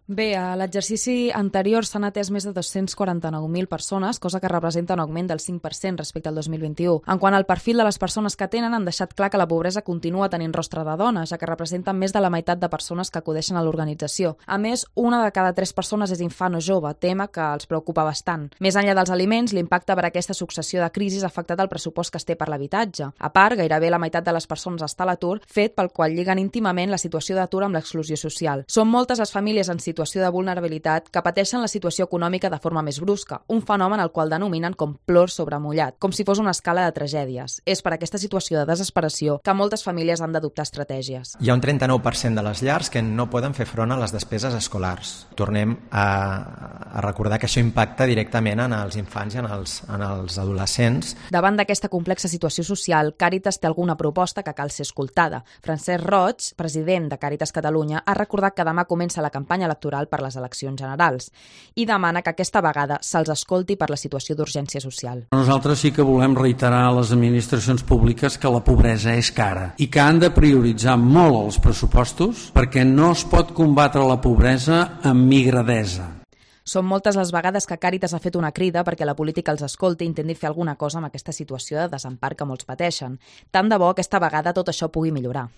Bé, a l'exercici anterior s'han atès més de 249.000 persones, cosa que representa un augment del 5% respecte al 2021. En quant al perfil de les persones que atenen, han deixat clar que la pobresa continua tenint rostre de dona, ja que representen més de la meitat de persones que acudeixen a l'organització. A més, una de cada 3 persones és infant o jove, tema que els preocupa bastant. Més enllà dels aliments, l'impacte per aquesta successió de crisis ha afectat el pressupost que es té per l'habitatge. A part, gairebé la meitat de les persones està a l'atur, fet pel qual lliguen íntimament la situació d'atur amb l'exclusió social. Són moltes les famílies en situació de vulnerabilitat que pateixen la situació econòmica de forma més brusca, un fenomen al qual denominen com plor sobre mullat, com si fos una escala de tragèdies. És per aquesta situació de desesperació que moltes famílies han d'adoptar estratègies. Hi ha un 39% de les llars que no poden fer front a les despeses escolars. Tornem a recordar que això impacta directament en els infants i en els adolescents. Davant d'aquesta complexa situació social, Càritas té alguna proposta que cal ser escoltada. Francesc Roig, president de Càritas Catalunya, ha recordat que demà comença la campanya electoral per les eleccions generals i demana que aquesta vegada se'ls escolti per la situació d'urgència social. Nosaltres sí que volem reiterar a les administracions públiques que la pobresa és cara i que han de prioritzar molt els pressupostos perquè no es pot combatre la pobresa amb migradesa. Són moltes les vegades que Càritas ha fet una crida perquè la política els escolti i intenti fer alguna cosa amb aquesta situació de desempar que molts pateixen. Tant de bo aquesta vegada tot això pugui millorar.